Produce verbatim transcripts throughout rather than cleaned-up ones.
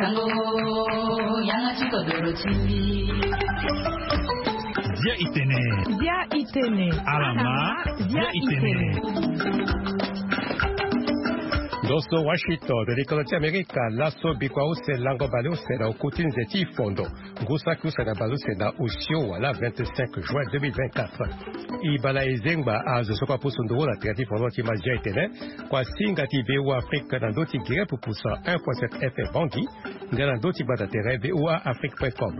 Dia itene. Dia itene. Alama. Dia itene. Ndo so Washington, likolo ti Amerika. Laso bikua use lango bale use na oku ti nze ti fondo. Ngu saki use na bale use na osio wala vingt-cinq juin deux mille vingt-quatre. Ibala ezengba azo so kua pusu nduru na tere ti fondo ti ma dia itene. Kua singa ti V O A Afrique na ndo ti gere pupusa un point sept F M Bangui. Nga na ndo ti gbata tere V O A Afrique point com.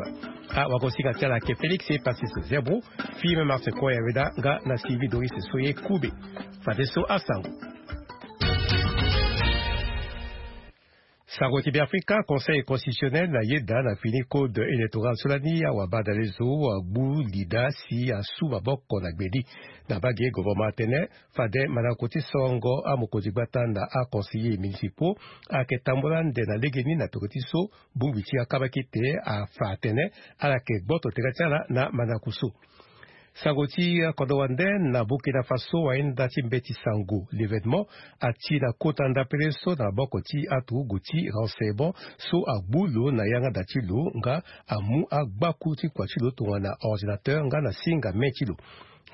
Awakosinga ti ala ayeke Félix Epasis Zebro, Firmin Martin Koyaweda nga na Sylvie Doris Soye Koube. Fadeso asango. Sango ti Beafrika, Conseil constitutionnel ayeda na fini code électoral so lani awabadalezo agbu lida si asu maboko na gbeni. Na mbage gouvernement atene fade mandako ti sorongo amokonzi gbata na aconseillers municipaux ayeke tambula ande na legeni na peko ti so bongbi ti akabakete afa atene ala yeke gboto tere ti ala na mandako so. Sango ti kodro wande, na Burkina Faso, ayenda ti mbeti sango, L'Événement, ati na kota ndapele so na maboko ti aturugu ti renseignement so agbu lo na yanga da ti lo nga amu agbaku ti kua ti lo tongana ordinateur nga na singa main ti lo.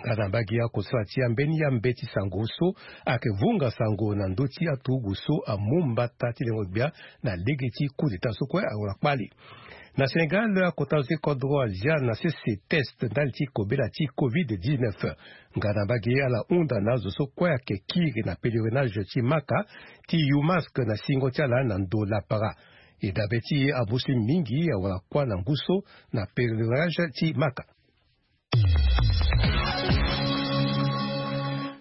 Nga na mbage akosala ti ambeni ambeti sango so ayeke vunga sango na ndö ti aturugu so amu mbata ti lengo gbia na lege ti coup d'état so kue awara kpale. Na Sénégal, akota zo ti kodro azia na sese test ndali ti kobela ti covid dix-neuf. Nga na mbage ala hunda na azo so kue ayeke kiri na pèlerinage ti Maka ti yu masque na singo ti ala na ndo lapara. E dabe ti amuslim mingi awara kuâ na ngu so na pèlerinage ti Maka.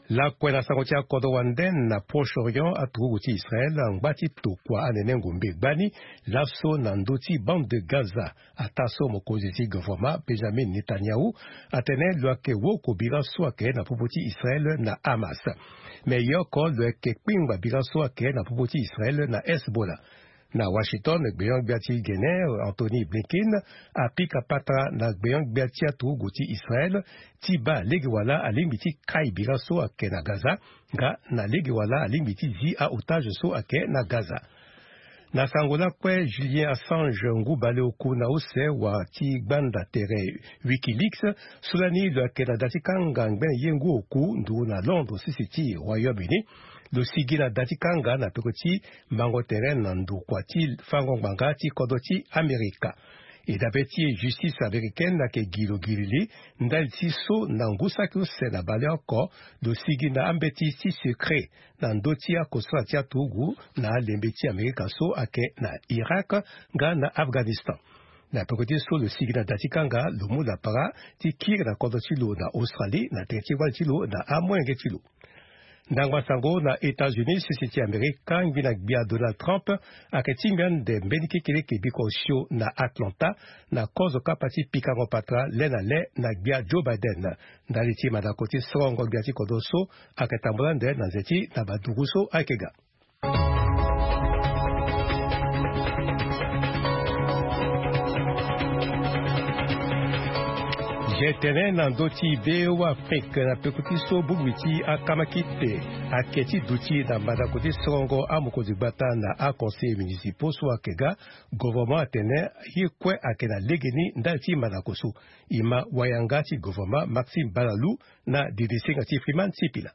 Lakue na sango ti akodro wande, na Proche-Orient, aturugu ti Israël angba ti tokua anene ngombe gbani laso na ndö ti bande de Gaza. Ataa so mokonzi ti gouvernement Benjamin Netanyahu atene lo yeke woko bira so ayeke na popo ti Israël na Hamas. Me ye oko lo yeke kpingba bira so ayeke na popo ti Israël na Hezbollah. Na Washington, gbeon-gbia ti Guinée, Antony Blinken, apika patara na gbeon-gbia ti aturugu ti Israël ti baa lege wala alingbi ti kai bira so ayeke na Gaza, nga na lege wala alingbi ti zi a-otage so ayeke na Gaza. Na sango lakue, Julian Assange, ngu baleoku na use wa ti gbanda tere Wikileaks, so lani lo yeke na da ti kanga ngbene ye ngu oku nduru na Londres sisi ti Royaume-Uni, lo sigi na da ti kanga na peko ti mango tere na ndokua ti fango ngbanga ti kodro ti Amerika. E dabe ti e, justice américaine ayeke gi lo girili ndali ti so na ngu saki use na baleoko lo sigi na ambeti ti secret na ndö ti akosala ti aturugu na alembe ti Amerika so ayeke na Irak nga na Afghanistan. Na peko ti so lo sigi na da ti kanga, lo mu lapara ti kiri na kodro ti lo na Australie na tere ti wali ti lo na amolenge ti lo. Ndangba sango na États-Unis, sese ti Amerika, ngbina gbia Donald Trump ayeke tingbi ande mbeni kekeleke bikua osio na Atlanta na kozo kapa ti pikango patara le na le na gbia Joe Biden. Ndali ti mandako ti sorongo gbia ti kodro so ayeke tambula ande na nze ti na baduru so ayeke ga. Ge tene na ndö ti V O A Afrique na peko ti so bongbi ti akamakite ayeke ti duti na mandako ti sorongo amokonzi gbata na aconseillers municipaux so ayeke ga. Gouvernement atene ye kue ayeke na legeni ndali ti mandako so. E ma wayanga ti gouvernement Maxime Balalou na didisinga ti Freeman Sipila.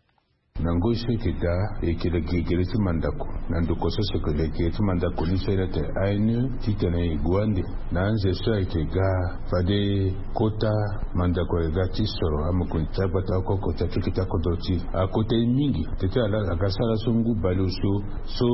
Na ngoi so e yeke daa, e yeke na gegere ti mandako. Na ndokua so si e yeke na gegere ti mandako ni so e laa tene A N E, titene e gue ande na anze so ayeke ga fade kota mandako ayeke ga ti soro amokonzi ti agbata oko oko ti akete ti akodro ti e. Akota e mingi, teti ala aga sara so ngu baleoso so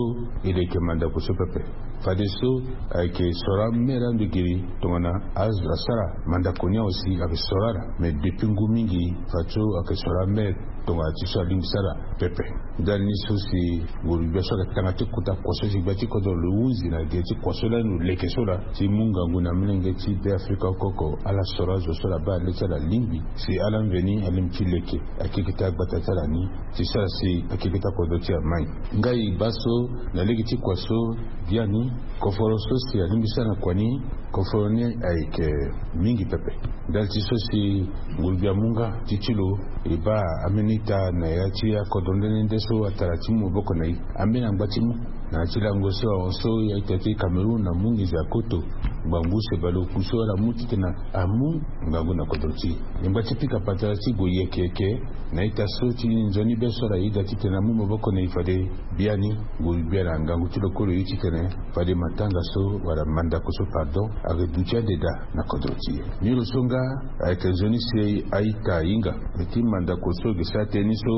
e leke mandako so pepe. Fadeso ayeke soro amere ando giri tongana azo asara mandako ni awe si ayeke soro ala. Me depuis ngu mingi fadeso ayeke soro amere tongana ti so alingbi sara pepe. Ndali ni so si nguru gbia so ayeke tanga ti kota kua so si gbia ti kodro lo hunzi na gere ti kua so lani lo leke so laa ti mu ngangu na molenge ti Beafrika oko oko ala soro azo so laa baa le ti ala lingbi si ala mveni alingbi ti leke akeketa agbata ti ala ni ti sara si akeketa kodro ti ala mai. Ngai baa so na lege ti kua so biani, koforo so si alingbi sara na kua ni, koforo ni ayeke mingi pepe. Ndali ti so si nguru gbia amu nga ti ti lo e baa ambeni Ita na ya ti akodro nde nde so atara ti mu maboko na e. Ambeni angba ti mu na ya ti lango so ahon so ya ita ti Cameroun na mu nginza koto ngbangbu use baleoku so ala mu titene amu ngangu na kodro ti e. E ngba ti pika patara ti gue yeke yeke na ita so ti nzoni be so ala yeda titene amu maboko na e fade biani gue gbia na ngangu ti lo kue lo ye titene fade matanga so wala mandako so pardon ayeke duti ande daa na kodro ti e. Ni lo so nga ayeke nzoni si a-ita ahinga. Ti mandako so ge sara tënë ni so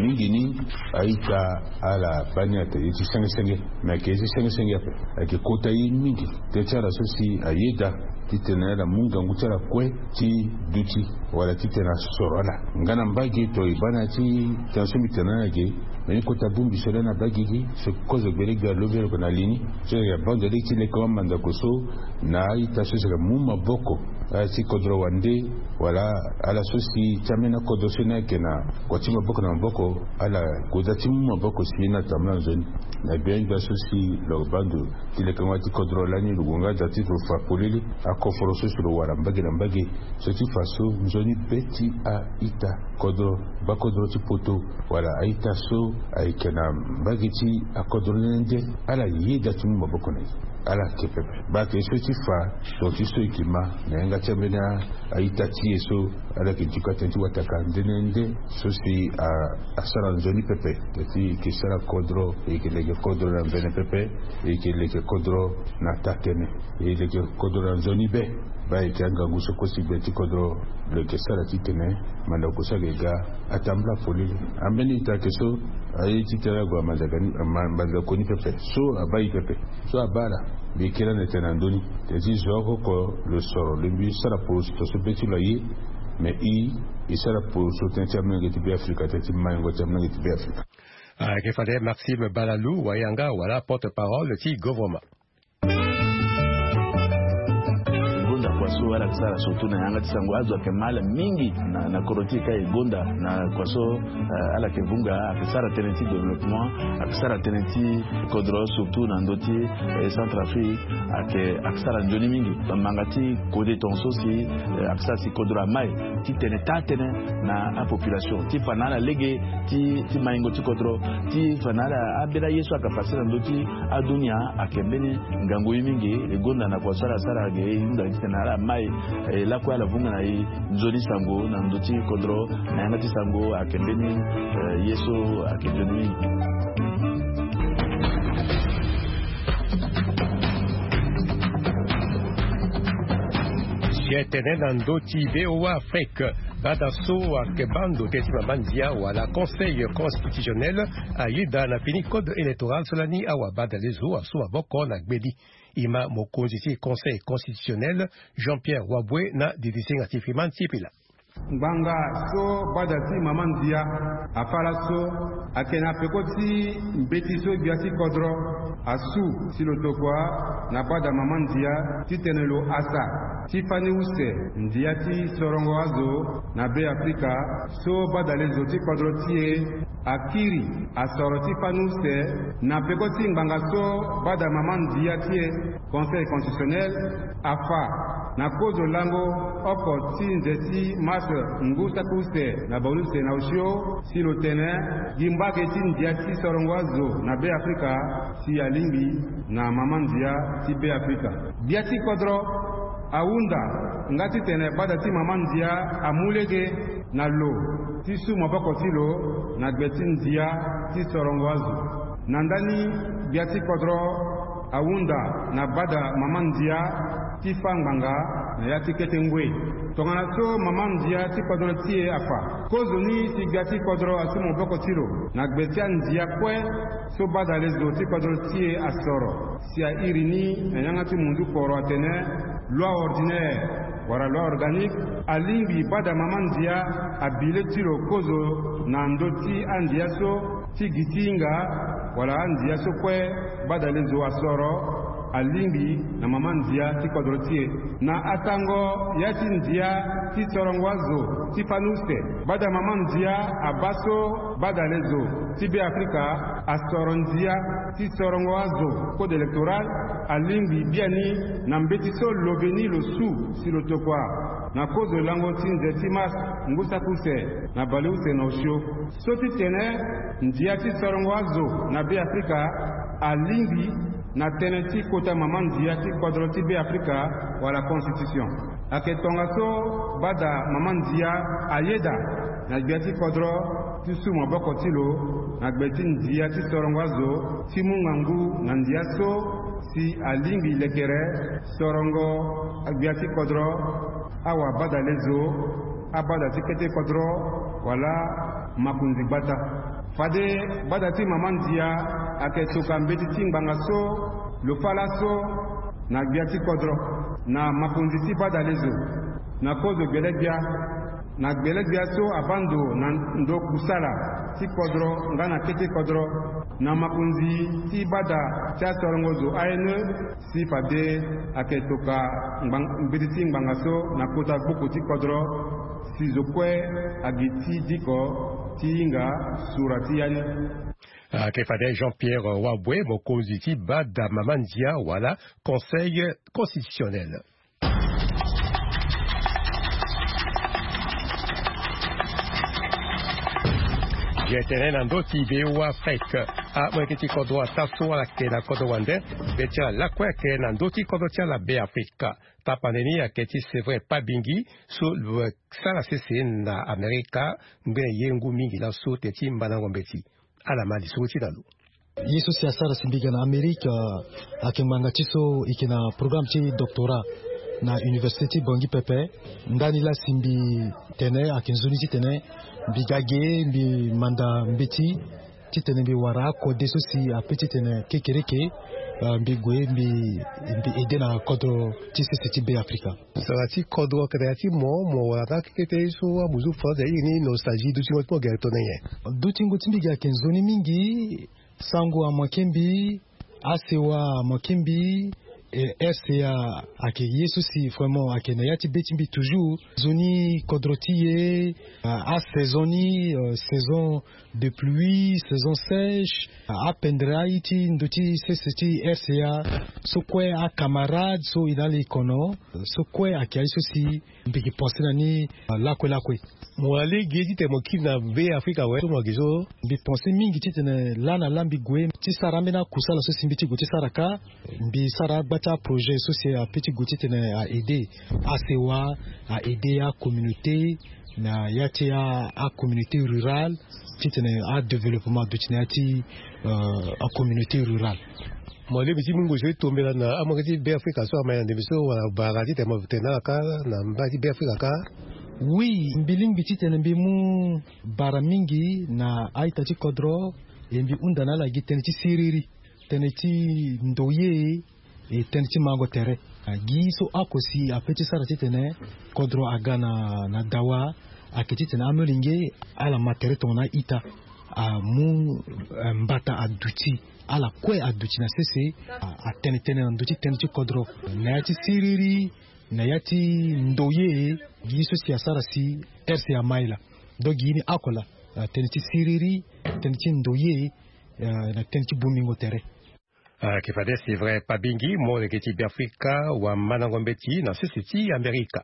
mingi ni a-ita ala baa ni atene ye ti senge senge. Me ayeke ye ti senge senge ape. Ayeke kota ye mingi tënë ti ala so si ayeda titene ala mu ngangu ti ala kue ti duti wala titene asoro ala nga na mbage to e baa na ya ti tënë so mbi tene na ala ge. Me ni kota bongbi so lani abaa gigi so kozo gbele gbia love loko na li ni so yeke abaa ndo lege ti leke wa mandako so na a-ita so si yeke mu maboko ala ti kodro wande wala ala so si ti ambeni akodro so ni ayeke na kua ti maboko na maboko ala goda ti mu maboko si ni atambula nzoni na gbia gbia so si lo baa ndo ti leke wa ti kodro lani lo gue nga da ti lo fa polele akoforo so si lo wara mbage na mbage so ti fa so nzoni be ti a-ita kodro bakodro ti poto wala a-ita so ayeke na mbage ti akodro nde nde ala yeda ti mu maboko na e. Ala yeke pepe baa ayeke so ti fa tonga ti so e yeke ma na yanga ti ambeni a-ita ti e so ala yeke duka tënë ti wataka nde nde nde so si asara nzoni pepe. Tënë ti e yeke sara kodro e yeke leke kodro na mvene pepe. E yeke leke kodro na taa-tënë e leke kodro na nzoni be. Baa e yeke angangu so kue si gbe ti kodro lo yeke sara titene mandako so ayeke ga atambula polele. Ambeni ita ayeke so aye titene ague na mandako ni pepe so abaa e pepe so abaa ala. Mbi kiri ande tene na ndö ni tene ti zo oko oko lo soro lo mbi sara poroso tongaso be ti lo aye. Me i e sara poroso tënë ti amolenge ti be afrika tënë ti maingo ti amolenge ti be afrika. Ayeke fade Maxime Balalou wayanga wala porte-parole ti gouvernement. E gonda kua so ala yeke sara surtout na yanga ti sango azo ayeke ma ala mingi na kodro ti e ka e gonda na kua so ala yeke vunga ayeke sara tënë ti développement ayeke sara tënë ti kodro surtout na ndö ti centrafrique. Ayeke sara nzoni mingi bambanga ti kode tongaso si ayeke sara si kodro ama e ti tene taa-tënë na apopulation ti fa na ala lege ti maingo ti kodro ti fa na ala ambeni aye so ayeke fa si na ndö ti adunia. Ayeke mbeni ngangu ye mingi e gonda na kua so ala sara ge e hunda titene ala ma e lakue ala vunga na e nzoni sango na ndö ti kodro na yanga ti sango ayeke mbeni ye so ayeke nzoni mingi. Si e tene na ndö ti voa afrique bada so ayeke baa ndo tënë ti mama ndia wala conseil constitutionnel ayeda na fini code électoral so lani awa bada lezo asu maboko na gbeli. E ma mokonzi ti conseil constitutionnel jean-pierre wabwe na didisinga ti fiman ti pila. Ngbanga so bada ti mama ndia afa laso ayeke na peko ti mbeti so gbia ti kodro asu si lo tokua na bada mama ndia titene lo hasa ti fani use ndia ti sorongo azo na be afrika so bada lezo ti kodro ti e akiri asoro ti fani use na peko ti ngbanga so bada mama ndia ti e conseil constitutionnel afa na kozo lango oko ti nze ti mars ngu saki use na bango use na osio si lo tene gi mbage ti ndia ti sorongo azo na be afrika si alingbi na mama ndia ti be afrika. Gbia ti kodro ahunda nga titene bada ti mama ndia amu lege na lo ti su maboko ti lo na gbe ti ndia ti sorongo azo. Na ndani gbia ti kodro ahunda na bada mama ndia ti fa ngbanga na ya ti kete ngoi. Tongana so mama ndia ti kodro ti e afa kozoni si gbia ti kodro asu maboko ti lo na gbe ti andia kue so bada lezo ti kodro ti e asoro si airi ni na yanga ti munzu kporo atene loi ordinaire wala loi organique alingbi bada mama ndia abi le ti lo kozo na ndö ti andia so ti gi ti hinga wala andia so kue bada lezo asoro alingbi na mama ndia ti kodro ti e. Na asango ya ti ndia ti sorongo azo ti fani use bada mama ndia abaa so bada lezo ti be afrika asoro ndia ti sorongo azo code électoral alingbi biani na mbeti so lo veni lo su si lo tokua Na kozo lango ti nze ti mars ngu saki use na baleuse na osio, so ti tene ndia ti sorongo azo na Be Afrika alingbi na tënë ti kota mama ndia ti kodro ti Be Afrika wala constitution. Ayeke tongaso bada mama ndia ayeda na gbia ti kodro ti su maboko ti lo na gbe ti ndia ti sorongo azo ti mu ngangu na ndia so si alingbi lekere sorongo gbia ti kodro, awabadalezo, abada ti kete kodro wala makonzi gbata. Fade bada ti mama ndia ayeke toka mbeti ti ngbanga so lo fâ laso na gbia ti kodro na makonzi ti badalezo na kozo gbele-gbia, na gbele-gbia so abaa ndo na ndo kusala ti kodro nga na kete kodro na makonzi ti bada ti asorongo zo A N E, si fade ayeke toka mbeti ti ngbanga so na kota gboko ti kodro si zo kue agi ti diko ti hinga sura ti ya ni. Ayeke fade Jean-Pierre Waboué, mokonzi ti bada mama ndia wala Conseil constitutionnel. Ye tene na ndö ti V O A Afrique, amolenge ti kodro ataa so ala yeke na kodro wande, be ti ala lakue ayeke na ndö ti kodro ti ala Be Afrika. Tapande ni ayeke ti Séverin Pabingi, so lo sara sese na Amerika ngbene ye ngu mingi laso tene ti mbandango mbeti. Ala ma lisoro ti na lo. Ye so si asara si mbi ga na Amerika, ah, ayeke ngbanga ti so e yeke na programme ti doctorat na université ti Bangui pepe. Ndani laa si mbi tene ayeke nzoni titene mbi ga ge mbi manda mbeti titene mbi wara akode so si ape titene kekereke, ah, mbi gue mbi, mbi aide na kodro ti sese ti Be Afrika. Sara ti kodro ayeke na ya ti mo, mo wara na akekete so amuzu France airi ni nostalgie, dutingo ti mo gere tongana nyen? Dutingo ti mbi ge ayeke nzoni mingi. Sango amanke mbi, asewa amanke mbi, eh, R C A ayeke ye so si vraiment ayeke na ya ti be ti mbi toujours. Nzoni kodro ti e, ah, asaison ni, euh, saison de pluie, saison sèche, ah, apendere aye ti ndo ti sese ti R C A, so kue acamarade so e na ala e kono, so kue ayeke aye so si mbi yeke pense na ni, ah, lakue lakue. Mo wara lege titene mo kiri na Be Afrika awe so mo yeke so? Mbi pense mingi titene laa na laa mbi gue ti sara ambeni akusala so si mbi ti gue ti sara kâ. Mbi sara agba ti aprojet so si ape ti gue titene a aide asewa, a aide acommunauté na ya ti a, acommunauté rurale, titene adéveloppement aduti na ya ti, euh, acommunauté rurale. Mo lingbi ti mu ngoi so ti tombela na amolenge ti Be Afrika so ama na ndembe so wala bara titene mo tene na ala kâ na mba ti Be Afrika kâ? Oui, mbi lingbi titene mbi mu bara mingi na a-ita ti kodro, e mbi hunda na ala gi tënë ti siriri, tënë ti ndoye, e tënë ti mango tere. Ah, gi so oko si ape ti sara titene kodro aga na, na dawa, ayeke titene amolenge ala ma tere tongana a-ita, amu, eh, mbata aduti, ala kue aduti na sese, ah, atene tënë na ndö ti tënë ti kodro. Na ya ti siriri, na ya ti ndoye, gi so si asara si R C A ma e laa. Donc gi ni oko laa, ah, tënë ti siriri, tënë ti ndoye, eh, na tënë ti bongbingo tere. Ah, ayeke fade Séverin Pabingi, molenge ti Be Afrika, wamandango mbeti na sese ti Amerika.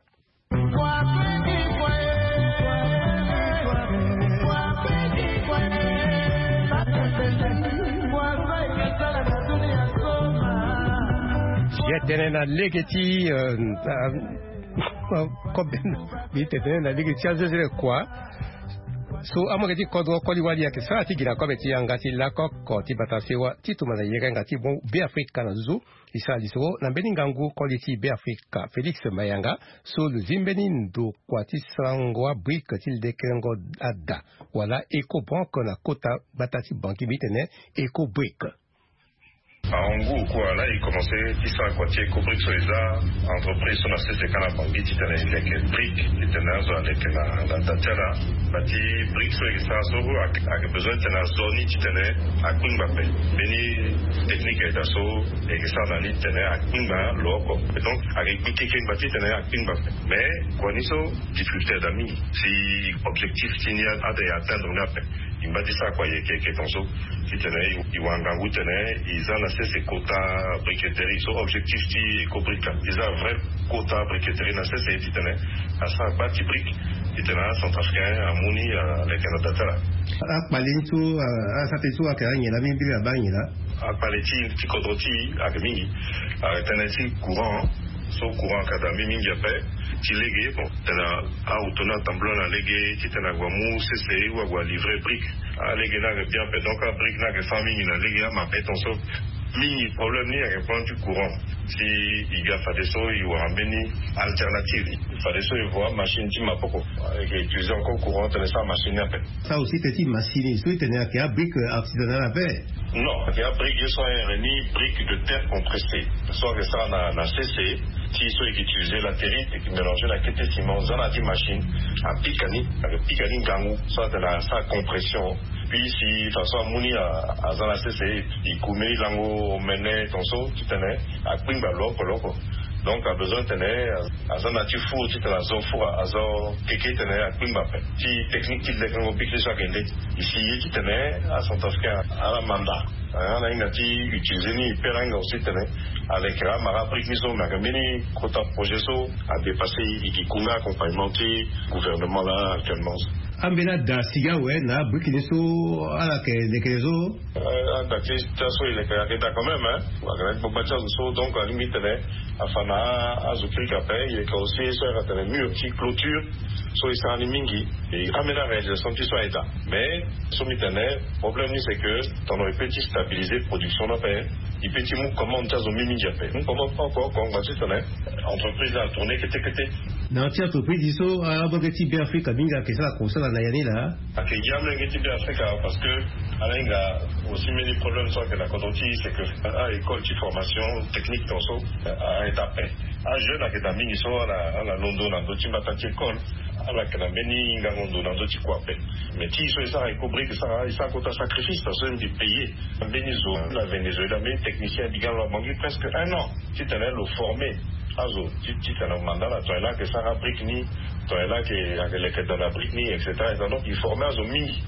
Ye tene na lege ti, euh, euh, kobe, mbi tene na lege ti azezele kua. So amolenge ti kodro koli wali ayeke sara ti gi na kobe ti yanga ti lako oko ti bata sewa ti tuma na yerenga ti mo Be Afrika na nduzu. E sara lisoro na mbeni ngangu koli ti Be Afrika Félix Mayanga, so lo zi mbeni ndokua ti sarango abrique ti lekerengo ada wala Ecobank na kota gbata ti Bangui, mbi tene Ecobrique. En gros kua laa e commencé ti sara kua ti Ecobrique so eza entreprise so na sese kâ na Bangui titene e leke brique titene azo aleke na, na da ti ala. Ba ti brique so e yeke sara so ayeke, ayeke besoin titene azo ni titene akpingba ape. Mbeni technique ayeke daa so e yeke sara na ni titene akpingba lo oko. Et donc ayeke gbi keke ngba titene akpingba ape. Mais kua ni so difficulté ayeke daa mingi si objectif ti ni atene e atteindre ni ape. E mba ti sara kua yeke yeke tonso titene e wara ngangu titene e za na sese kota briqueterie so objectif ti Ecobrique la e za vrai kota briqueterie na sese titene asara gba ti brique titene acentrafricain amu ni aleke na da ti ala. Akpale ni so asara tënë so ayeke anyen laa mingi mingi abaa anyen laa. Akpale ti ti kodro ti e ayeke mingi. Ayeke tënë ti courant so courant ayeke daa mingi mingi ape. Ti lege bon titene ahuto ni atambula na lege titene ague amu sese ou ague alivre brique. Alege ni ayeke bien ape donc abrique ni ayeke sara mingi na lege ama ape tonso. Mingi problème ni ayeke problème ti courant. Si e ga fadeso e wara mbeni alternative fadeso e voit machine ti maboko. Ayeke utiliser encore courant titene sara machine ni ape. Sara aussi tënë ti machine so e tene ayeke abrique artisanale ape. Non, ayeke abrique ye so ayeke ni brique de terre compressée so ayeke sara na sese ti so ayeke utiliser latérite ayeke mélanger na kete ciment za na ya ti machine. Apika ni ayeke pika ni ngangu so atene asara compression. Puis si façon amu ni aza na sese e kume lango omene tonso titene akpingba lo oko lo oko. Donc abesoin titene aza na ti four titene azo four azo keke titene akpingba ape. Ti technique ti lekengo brique so ayeke nde. E si ye titene acentrafricain ala manda ala hinga ti utiliser ni e pe ala hinga aussi titene aleke amara abrique ni so me ayeke mbeni kota projet so adépasser e e gi ku nga accompagnement ti gouvernement laa actuellement. Ambeni ada sigi awe na abrique ni so ala yeke leke so. Ada ti ti aso e leke ayeke daa quand même hein. Ayeke na ti gbagba ti azo so donc alingbi titene afa na azo kirika ape. E leke aussi so ayeke atene mur ti clôture so e sara ni mingi. E ambeni aréalisation ti so aye daa. Mais so mbi tene problème ni c'est que tongana e pe ti stabiliser production ni ape e pe ti mu commande ti azo mingi mingi ape mu commande oko oko ngba ti tene entreprise ni atourner kete kete. Na ya ti entreprise so abage ti Beafrika mingi ayeke sara kosala na ya ni laa. Ayeke gi amolenge ti Beafrika parce que ala hinga aussi mbeni problème so ayeke na kodro ti e c'est que a-école ti formation technique tonso aye daa ape. Ajeune ayeke daa mingi so ala londo na ndö ti mbata ti école. Ala yeke na mbeni ngango ndo na ndö ti kua ape. Mais ti e so e sara Ecobrique e sara e sara kota sacrifice parce que mbi payer mbeni zo na Venezuela mbeni technicien e bi ga lo abongi presque un an titene lo former azo titene manda ala tongana e laa ayeke sara abrique ni tongana e laa ayeke leke daa na brique ni et cetera. Donc e former azo mingi.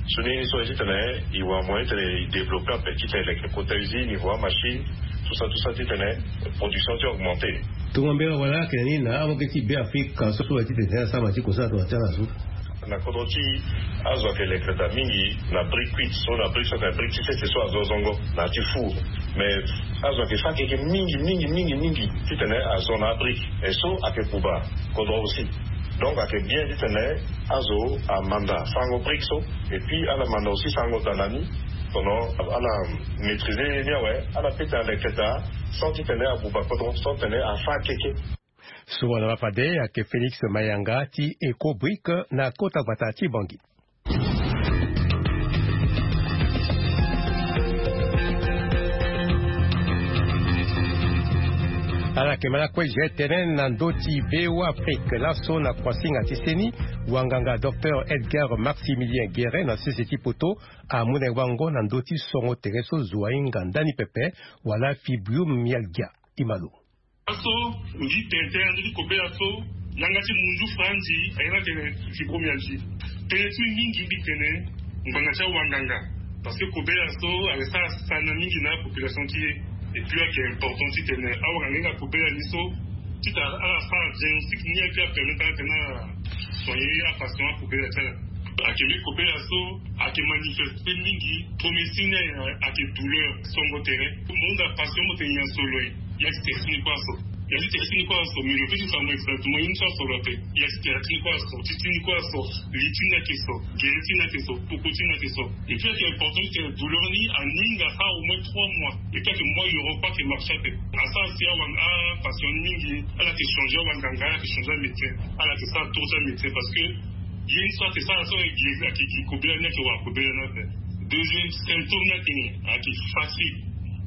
So ni ni so aye titene e wara moyen titene e développer ape titene e leke kota usine e voie machine tout ça tout ça titene production ti augmenter. Tonga mbela wala ayeke na ni na awaga ti Beafrika so so aye titene asara ma ti kosala tongana ti ala so. Na kodro ti e azo ayeke leke daa mingi na brique cuite so na brique so ayeke na brique ti sese so azo zongo na ya ti four. Mais azo ayeke fa keke mingi mingi mingi mingi titene azo na abrique. E so ayeke buba kodro aussi. Donc ayeke bien titene azo amanda sarango brique so. Et puis ala manda aussi sarango daa na ni. Tongana ala maîtriser ni awe ala pe tene aleke daa sans titene abuba kodro sans titene afa keke. So wala laa fade ayeke Félix Mayanga ti Ecobrique na kota gbata ti Bangui. Ala yeke ma lakue je tene na ndö ti Beafrika laso na kuasinga ti seni wanganga docteur Edgar Maximilien Guérin na sese ti poto amu na e wango na ndö ti songo tere so zo ahinga ndani pepe wala fibromyalgia. E ma lo. Laso mbi tene tënë na ndö ti kobela so yanga ti munzu franzi ayeke na tene fibromyalgie. Tënë ti mingi mbi tene ngbanga ti awanganga. Parce que kobela so ayeke sara sana mingi na apopulation ti e. Et puis ayeke important titene awanganga ahinga kobela ni so titene ala sara diagnostic ni et puis apermettre ala titene ala soigner apatient akobela ti ala. Ayeke mbi kobela so ayeke manifeste mingi. Premier signe ni ayeke douleur songo tere. Mo hunda patient mo tene nyen so lo ye. Ya ti tere ti ni kue aso. Ya ti tere ti ni kue aso mais lo peut ti fa mo exactement ye ni so aso lo ape. Ya ti tere ti ni kue aso ti ti ni kue aso. Li ti ni ayeke so. Gere ti ni ayeke so. Poko ti ni ayeke so. Et puis ayeke important ti tene douleur ni aninga asara au moins trois mois. Et puis ayeke moi yoro kue ayeke marché ape. Asara si awa apatient ni mingi. Ala yeke changer awanganga ala yeke changer amédecin. Ala yeke sara tour ti amédecin parce que ye ni so ayeke sara so ayeke gi kobela ni ayeke wara kobela ni ape. Deuxième symptôme ni ayeke nyen? Ayeke fatigue.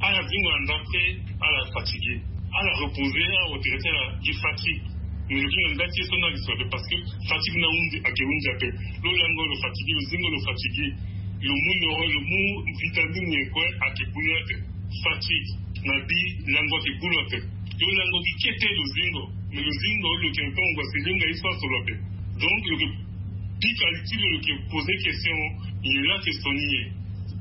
Ala zingo na ndapre ala fatigué. Ala reposer ala retraite ala gi fatigue. Mais lo gi na nda ti ye so ni ayeke so ape parce que fatigue ni ahunzi ayeke hunzi ape. Lo lango lo fatigué lo zingo lo fatigué. Lo mu yoro lo mu vitamine nyen kue ayeke boni ape. Fatigue na bi lango ayeke gbu lo ape. Lo lango gi kete lo zingo. Mais lo zingo lo yeke na ntango ngua si lo hinga ye so aso lo ape. Donc lo yeke Pika li ti lo lo yeke poze question. Ye laa ayeke so ni nyen?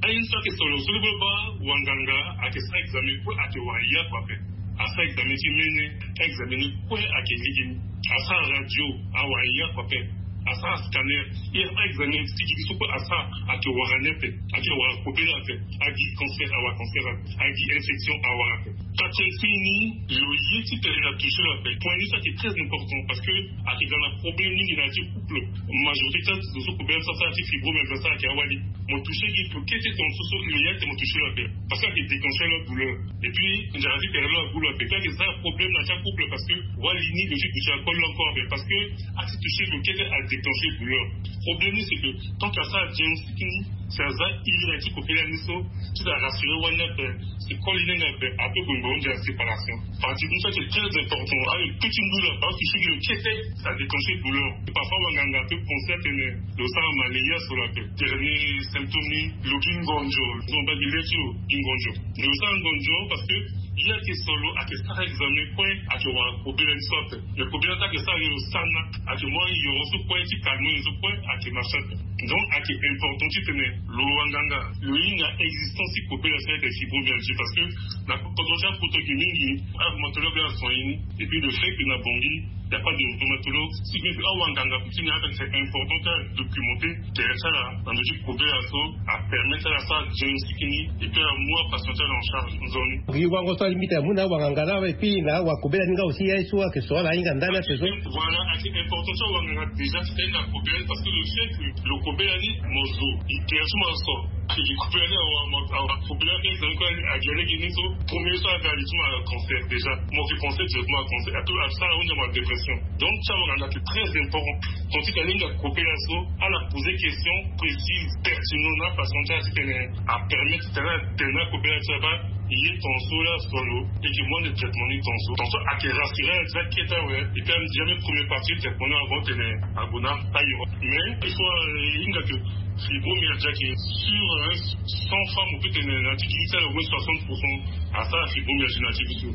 Aye ni so ayeke so lo so lo baa wanganga ayeke sara examen kue ayeke wara ye oko ape. Asara examen ti mene, examen ni kue ayeke lege ni. Asara radio, awara ye oko ape. Asara scanner, ye asara examen ti gi ni so kue asara ayeke wara ni ape. Ayeke wara kobela ape. Agi cancer, awara cancer ape. Agi infection, awara ape. Quatrième signe ni, lo ye ti tene atouche lo ape. Point ni so ayeke très important parce que ayeke ga na problème mingi na ya ti couple. Majorité ti azo so kobela so asara ti fibromyalgie asara ayeke awali. Mo touche gi lo kete tonga so so lo ye ate mo touche lo ape. Parce que ayeke déclencher lo adouleur. Et puis nzara ti tere lo agu lo ape. Puis ayeke sara problème na ya ti couple parce que wali ni lo ti duti alcool lo encore ape. Parce que ati touche lo kete adéclencher douleur. Problème ni c'est que tant que asara diagnostic ni, si aza iri na ya ti kobela ni so, ti da rassurer wali ni ape. C'est koli ni ape, ape bongo nzara séparation. Partie ni so ayeke très important. Aye petit ndu lo ape, touche gi lo kete, ça déclencher douleur. Et parfois wanganga ape penser atene lo sara malaria so lo ape. Dernier symptôme ni, lo gi ngonzo. Lo baa gi le ti lo gi ngonzo. Lo sara ngonzo parce que ye ayeke so lo ayeke sara examen kue ayeke wara kobela ni so ape. Mais kobela so ayeke sara ye lo sara na ayeke mu ayoro so kue ti calmer ye so kue ayeke marche ape. Donc ayeke important ti tene lo wanganga lo hinga existence ti kobela so ayeke fibromyalgie parce que na kodro ti apoto gi mingi, arhumatologue asoigner ni. Et puis le fait que na Bangui il n'y a pas de rhumatologue, si bien que awanganga ti ni ape c'est important ti adocumenté tere ti ala na ndö ti kobela so apermettre ala asara diagnostic ni. Et puis amu apatient ti ala en charge nzoni. Ngi wango so alingbi tene amu na awanganga laa et puis na awakobela ni nga aussi aye so ayeke so ala ahinga ndani ape so. Voilà, ayeke important ti awanganga déjà ti tene na kobela ni parce que le fait que lo kobela ni mo zo, e tere ti mo aso. Ayeke kobela ni awa, awa kobela ni, donc ayeke lege ni so premier so aga li ti mo acancer déjà. Mo yeke penser directement acancer. Ape asara ahunda mo adépression. Donc ti awanganga ayeke très important. Donc ti tene ahinga kobela so ala poser question précise, pertinent na apatient ti ala ti tene apermettre ti tene atene akobela ti ala baa ye tongaso laa so lo e yeke mu ande traitement ni tongaso. Tongaso ayeke rassurer ala ti akete awe. Et puis ame déjà même première partie traitement ni avant tene ague na ayo. Mais il faut, euh, hinga que fibromyalgie ayeke sur, hein, cent femmes ou peut tene na ti gi ti ala au moins soixante pour cent asara fibromyalgie na ti gi ti lo.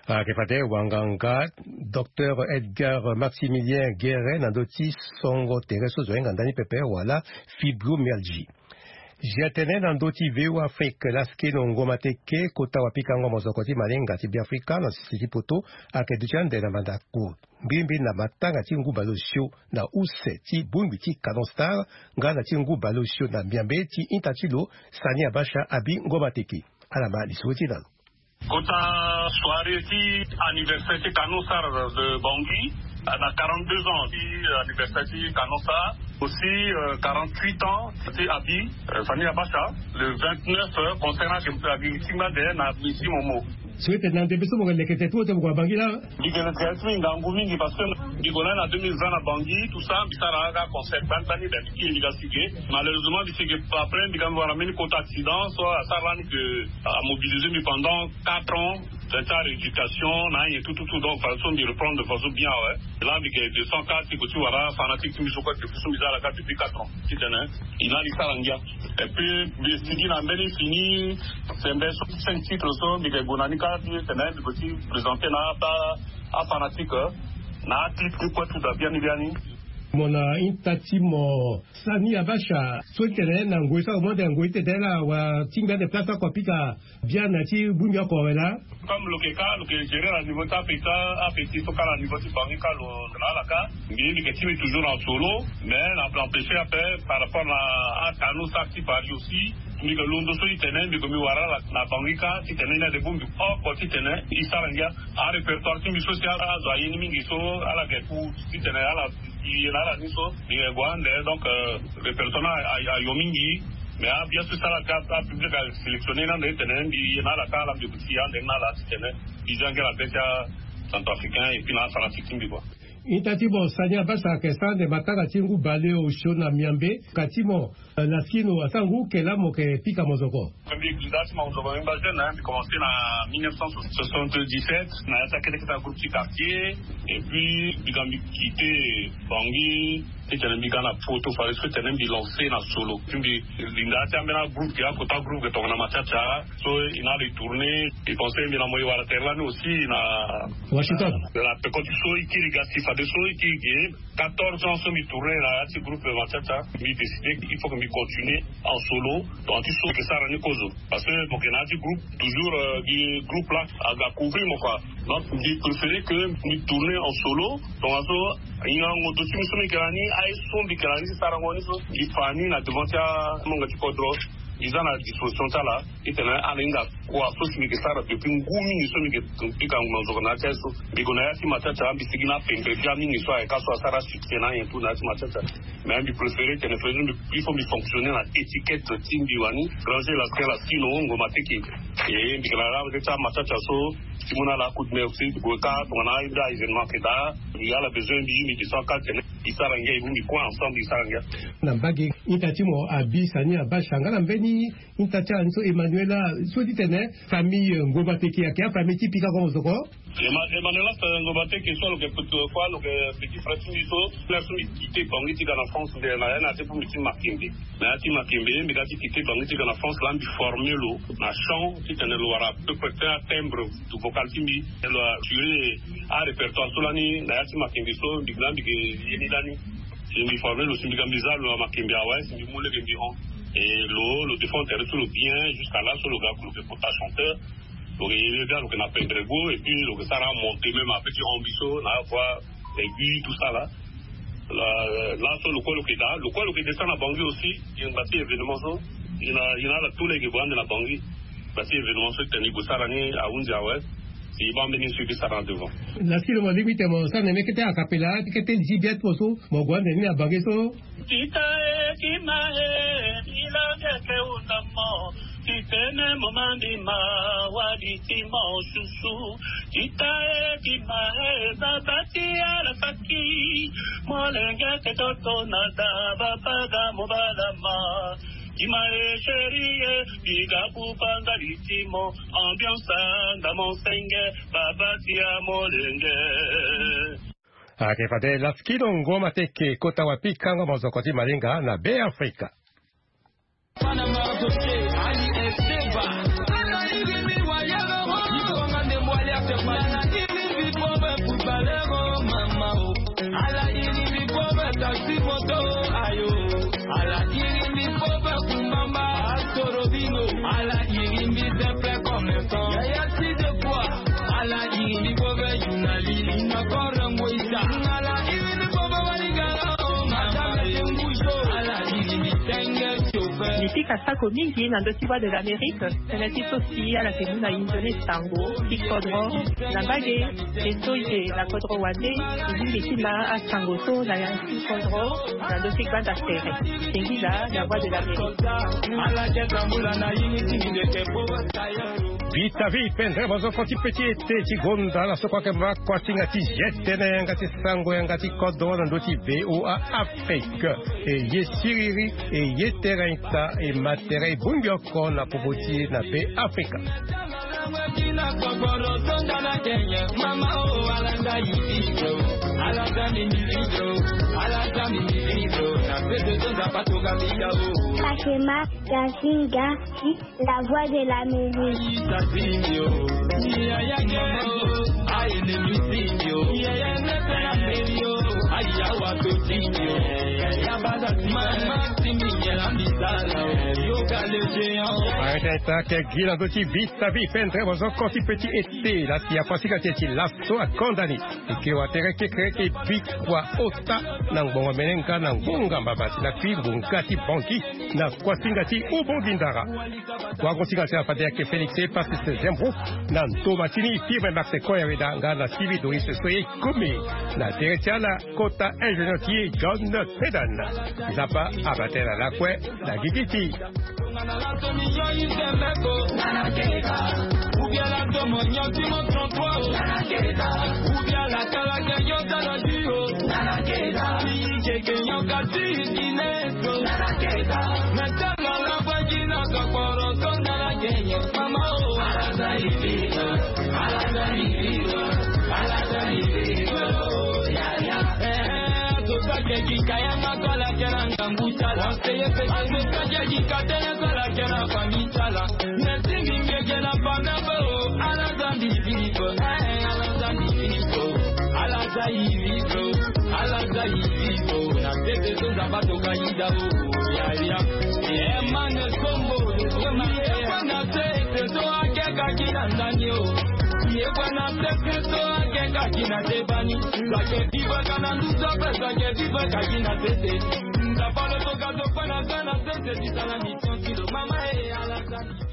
Ayeke fade wanganga docteur Edgar Maximilien Guérin na ndö ti songo tere so zo ahinga ndani pepe wala fibromyalgie. Zia tënë na ndö ti V O A Afrique, laskeno ngoma teke kota wapikango mozoko ti malinga ti Beafrika na sese ti poto ayeke duti ande na mandako mbirimbi na matanga ti ngu baleosio na use ti bongbi ti Canon Star nga na ti ngu baleosio na miambe ti ita ti lo Sani Abacha abi ngoma teke. Ala ma lisoro ti na lo. Kota soirée ti anniversaire ti Canon Star de Bangui, na quarante-deux ans ti anniversaire ti Canon Star, aussi, euh, quarante-huit ans ti abi, euh, Sani Abacha. Le vingt-neuf, euh, concert na abi ti ngbande na misi momo. So ete na ndembe so mo yeke leke tete ti mo gue na Bangui laa? Mbi yeke leke ti mbi ngangu mingi parce que mbi gue na ni na deux mille vingt na Bangui, tout ça, mbi sara nga concert gbani gbani, ben mbi kiri mbi ga si ge. Malheureusement mbi si ge après mbi ga mbi wara mbeni kota accident so asara lani que amobilisé mbi pendant quatre ans. Tene ti arééducation na anyen tout tout tout, donc façon mbi reprendre de façon bien awe. Là mbi yeke descend kâ ti gue ti wara fanatique ti mbi so kue, depuis so mbi za ala kâ depuis quatre ans. Titene e na li sara ngia. Et puis mbi sigi na mbeni fini sembe so cinq titres so mbi yeke gue na ni kâ ti tene mbi gue ti présenter na aba afanatique na aclip ti kue tout da biani biani. Mo na ita ti mo Sani Abacha so ti tene na ngoi so amo ande ngoi ti tene laa wala ti ngbi ande place oko apika biani na ti bongbi oko awe laa. Comme lo yeke kâ lo yeke gérer na niveau ti ape ti ape ti so kâ na niveau ti Bangui kâ lo na ala kâ. Mbi mbi yeke ti mbi toujours na solo. Mais na empêcher ape par rapport na aCanon Star ti Paris aussi. Mbi yeke londo so ti tene mbi yeke mbi wara ala na Bangui kâ ti tene ni ade bongbi oko ti tene e sara ngia. Arépertoire ti mbi so si azo aye ni mingi so ala yeke ku ti tene ala e na ala ni so e gue ande. Donc, euh, répertoire ni ayo mingi. Mais abien so si ala ga apublic asélectionner ni ande ti tene mbi e na ala kâ ala mbi yeke ti e ande ni na ala ti tene mbi za ngia na be ti acentrafricain et puis na afanatique ti mbi kua. Ita ti mo Sani Abacha ayeke sara ande matanga ti ngu baleosio na miambe. Ka ti mo, euh, laskino asara ngu kela mo yeke pika mozoko? Mbi nda ti mo mozoko mbi mba jeune, hein, mbi commencé na mille neuf cent soixante-dix-sept na ya ti akete kete agroupe ti quartier. Et puis mbi ga mbi quitté Bangui. Titene mbi ga na poto fade so titene mbi lance na solo. Mbi linda ti ambeni agroupe ke akota groupe ke tongana Mathiatia. So e na retourner. E pense mbi na mo e wara tere lani aussi na Washington. Na peko ti so e kiri ga si fade so e kiri ge quatorze ans so mbi tourner na ya ti groupe Mathiatia. Mbi décider il faut que mbi continuer en solo. Donc ti so ke sara ni kozo. Parce que mo ke na ya ti groupe toujours, euh, gi groupe la aga couvrir mo kua. Donc mbi préférer que mbi tourner en solo. Donc aso, ngango do ti mbi so mbi ke na ni, aye so mbi ke na ni ti sarango ni so mbi fa ni na devant ti amonga ti kodro. Mbi za na disposition ti ala. Titene ala hinga kua so si mbi ke sara depuis ngu mingi so mbi ke pika ngu na nzoko na ya ti aye so. Mbi gue na ya ti Mathiatia, mbi sigi na pempe ti amingi so ayeke aso asara succès na anyen tout na ya ti Mathiatia. Mais mbi préférer tene fade so mbi, il faut mbi fonctionner na étiquette ti mbi wani. Granger la skin la skin o ngo mateke. E mbi ke na la ti Mathiatia so ti mu na ala coup de main aussi. Gue ka tongana ayeda événement ke daa, mbi ala besoin mbi, mbi descend ka tene mbi sara ngia, e mu mbi kue ensemble mbi sara ngia. Na mbage ita ti mo abi sani abasha nga na mbeni ita ti ala ni so Emmanuela so titene famille, euh, Ngoma Teke ayeke afamille ti pika kua mo zo ko. Emma-, Emmanuela, euh, Ngoma Teke so lo yeke petit, euh, kua lo yeke petit frère ti mbi so. Frère so mbi quitté Bangui ti ga na France nde na ya na ya ti pu mbi ti Makembe. Na ya ti Makembe mbi ga ti quitté Bangui ti ga na France la mbi former lo na chant titene lo wara à peu près ti atimbre vocal ti mbi. Lo assurer arépertoire so lani na ya ti Makembe so mbi ga mbi ke ye ni lani. Si mbi former lo si mbi ga mbi za lo na Makembe awe si mbi mu lege mbi hon. Et lo, lo défend tere so lo bien jusqu'à là so lo ga lo ke kota chanteur. Lo ke ye ga lo ke na Pendrego et puis lo ke sara monter même ape ti hon mbi so na voix aiguë tout ça là. La, la so lo kue lo ke daa, lo kue lo ke descend na Bangui aussi. Ye ngba ti événement so ye na, ye na ala tout lege gue ande na Bangui. Ngba ti événement so tene e gue sara ni ahunzi awe. Si e baa mbeni so e ke sara na devant. Laski lo mo lingbi tene mo sara na mbi kete a cappella ti kete li ti bia ti mo so mo gue ande ni na Bangui so. Tita e, ti ma e, ti la nge ke hunda mo. Ti tene mo mandi ma wali ti mo susu. Tita e, ti ma e, baba ti ala faki. Molenge ke toto na da baba ga mo bala ma. Ti ma e, chérie e, biga buba nga li ti mo. Ambiance nga mo senge, baba ti amolenge. Ayeke fade Laskino Ngoma Teke kota wapikango mozoko ti Malinga na Be Afrika. Mbi pika sako mingi na ndö ti Voix de l'Amérique, tënë ti so si ala yeke mu na inzo ni sango ti kodro na mbage. Ye so e yeke na kodro wande, e lingbi ti ma asango so na ya ti kodro na ndö ti gbanda tere. Singila na Voix de l'Amérique. Vita vi pendere mozoko ti pe ti ete ti gonda na so kue ayeke ma kuasinga ti ye tënë yanga ti sango yanga ti kodro na ndö ti V O A Afrique. E ye siriri, e ye tere ita, e ma tere e bongbi oko na popo ti e na Be Afrika. Sakema Gazinga ti La Voix de l'Amérique. Arrête ta ke gi na ndö ti vita vi pendere mozoko ti pe ti ete la si apasinga ti e ti laso akonda ni. E ke wa tere kekereke bikua ota na ngbongo mene nga na ngonga mbabati na kui ngonga ti banki na kuasinga ti ubongi ndara. Wagosinga ti ala fade ayeke Félix Epasis Zembro na ndo ma ti ni Firme Max Koyaweda nga na Sylvie Doris so e kumi na tere ti ala kota ingénieur ti e John Pedan. Nzapa abatela lakue na gigi ti. Seye pese meka dia di katene sala kena famille sala. Merci mingi kena famille bo. Ala zandi vivo. Eh, ala zandi vivo. Ala zai vivo. Ala zai vivo. Na tete so zaba to kaida o. Ya ya. Eh, mane sombo. Sombo. Ye kwa na tete so ake kaki na ndani o. Ye kwa na tete so ake kaki na tebani. Zake vivo kana ndusa pe zake vivo kaki na tete. Nzapa lo toka zo kwa na zana tete di sala ni tranquille. Mama e ala zandi.